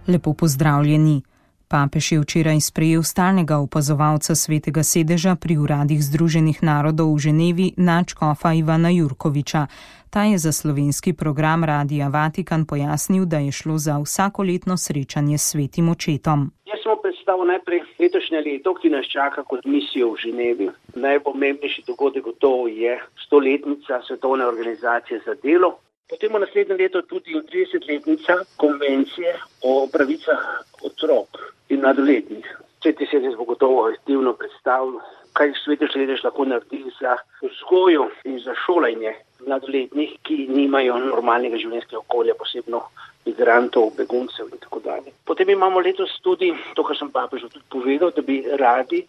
Lepo pozdravljeni. Papež je včeraj sprejel stalnega opazovalca Svetega sedeža pri uradih Združenih narodov v Ženevi, nadškofa Ivana Jurkoviča. Ta je za slovenski program Radia Vatikan pojasnil, da je šlo za vsakoletno srečanje s Svetim očetom. Jaz sem predstavil najprej letošnje leto, ki nas čaka kot misijo v Ženevi. Najpomembnejši dogodek gotovo je 100-letnica Svetovne organizacije za delo. Potem v naslednjem letu tudi 30-letnica konvencije o pravicah otrok in mladoletnih. Sveti sedež bo gotovo aktivno predstavil, kaj Sveti sedež lahko naredi za vzgojo in za šolanje mladoletnih, ki nimajo normalnega življenjskega okolja, posebno migrantov, beguncev in tako dalje. Potem imamo letos tudi, to, kar sem papežu tudi povedal, da bi radi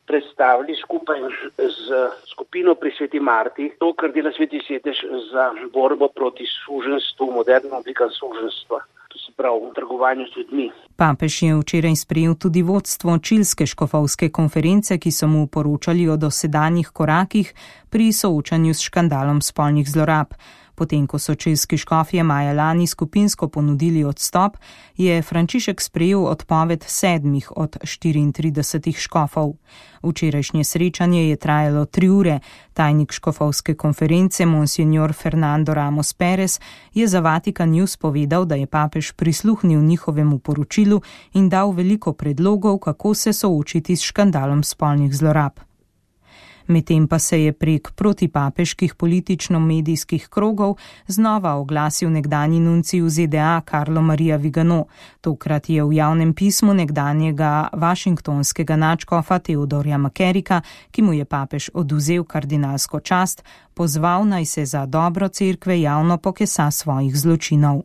predstavili skupaj z skupino pri Sveti Marti to, kar dela Sveti sedež za borbo proti suženjstvu, moderna oblika suženjstva, to se pravi v trgovanju s ljudmi. Papež je včeraj sprejel tudi vodstvo Čilske škofovske konference, ki so mu poročali o dosedanjih korakih pri soočanju s škandalom spolnih zlorab. Potem, ko so čilski škofje maja lani skupinsko ponudili odstop, je Frančišek sprejel odpoved 7 od 34 škofov. Včerajšnje srečanje je trajalo 3 ure. Tajnik škofovske konference, monsignor Fernando Ramos Perez, je za Vatikan News povedal, da je papež prisluhnil njihovemu poročilu in dal veliko predlogov, kako se soočiti s škandalom spolnih zlorab. Medtem pa se je prek protipapeških politično-medijskih krogov znova oglasil nekdanji nuncij v ZDA Carlo Maria Vigano. Tokrat je v javnem pismu nekdanjega vašingtonskega nadškofa Theodorja Mackerika, ki mu je papež odvzel kardinalsko čast, pozval naj se za dobro cerkve javno pokesa svojih zločinov.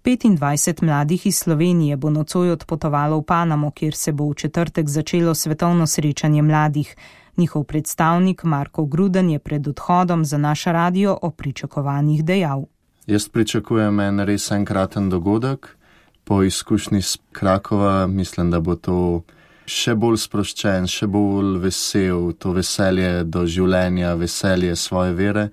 25 mladih iz Slovenije bo nocoj odpotovalo v Panamo, kjer se bo v četrtek začelo svetovno srečanje mladih. Njihov predstavnik Marko Gruden je pred odhodom za naš radio o pričakovanjih dejal. Jaz pričakujem en res enkraten dogodek. Po izkušnji iz Krakova mislim, da bo to še bolj sproščen, še bolj vesel, to veselje do življenja, veselje svoje vere,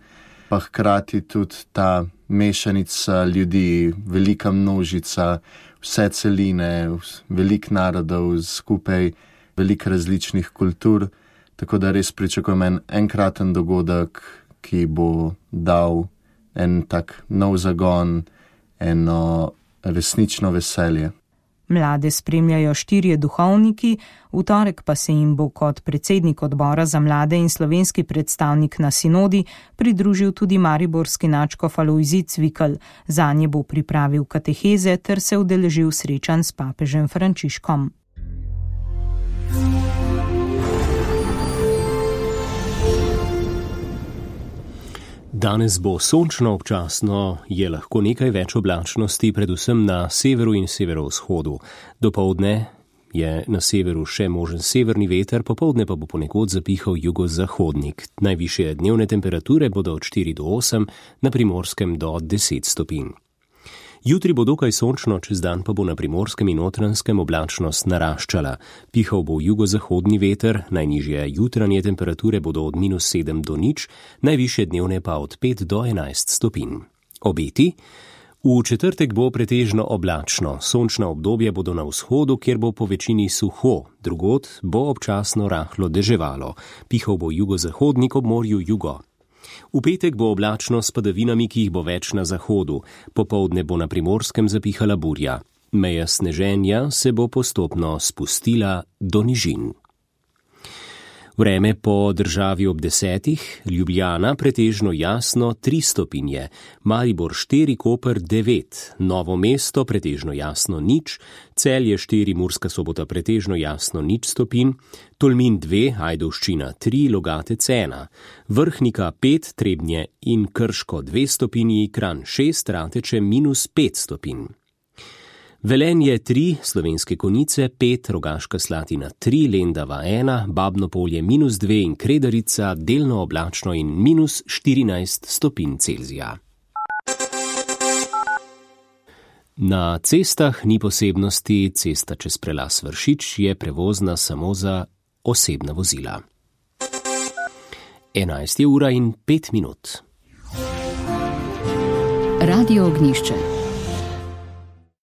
pa hkrati tudi ta mešanica ljudi, velika množica, vse celine, veliko narodov skupaj, veliko različnih kultur. Tako da res pričakujem enkraten dogodek, ki bo dal en tak nov zagon, eno resnično veselje. Mlade spremljajo 4 duhovniki, v torek pa se jim bo kot predsednik odbora za mlade in slovenski predstavnik na sinodi pridružil tudi mariborski nadškof Alojzij Cvikl. Zanje bo pripravil kateheze ter se udeležil srečanj s papežem Frančiškom. Danes bo sončno, občasno je lahko nekaj več oblačnosti, predvsem na severu in severovzhodu. Dopoldne je na severu še možen severni veter, popoldne pa bo ponekod zapihal jugozahodnik. Najvišje dnevne temperature bodo od 4 do 8, na Primorskem do 10 stopinj. Jutri bo dokaj sončno, čez dan pa bo na Primorskem in Notranjskem oblačnost naraščala. Pihal bo jugozahodni veter, najnižje jutranje temperature bodo od -7 do 0, najvišje dnevne pa od 5 do 11 stopinj. Obeti? V četrtek bo pretežno oblačno, sončna obdobja bodo na vzhodu, kjer bo po večini suho, drugod bo občasno rahlo deževalo. Pihal bo jugozahodnik, ob morju jugo. V petek bo oblačno s padavinami, ki jih bo več na zahodu. Popoldne bo na Primorskem zapihala burja. Meja sneženja se bo postopno spustila do nižin. Vreme po državi ob 10, Ljubljana pretežno jasno 3 stopinje, Maribor 4, Koper 9, Novo mesto pretežno jasno 0, Celje 4, Murska Sobota pretežno jasno 0 stopinj, Tolmin 2, Ajdovščina 3, Logatec 1, Vrhnika 5, Trebnje in Krško 2 stopinji, Kranj 6, Rateče -5 stopinj. Velenje 3, Slovenske Konjice 5, Rogaška Slatina 3, Lendava 1, Babno Polje -2 in Kredarica delno oblačno in -14 stopinj Celzija. Na cestah ni posebnosti, cesta čez prelas Vršič je prevozna samo za osebna vozila. 11:05. Radio Ognjišče.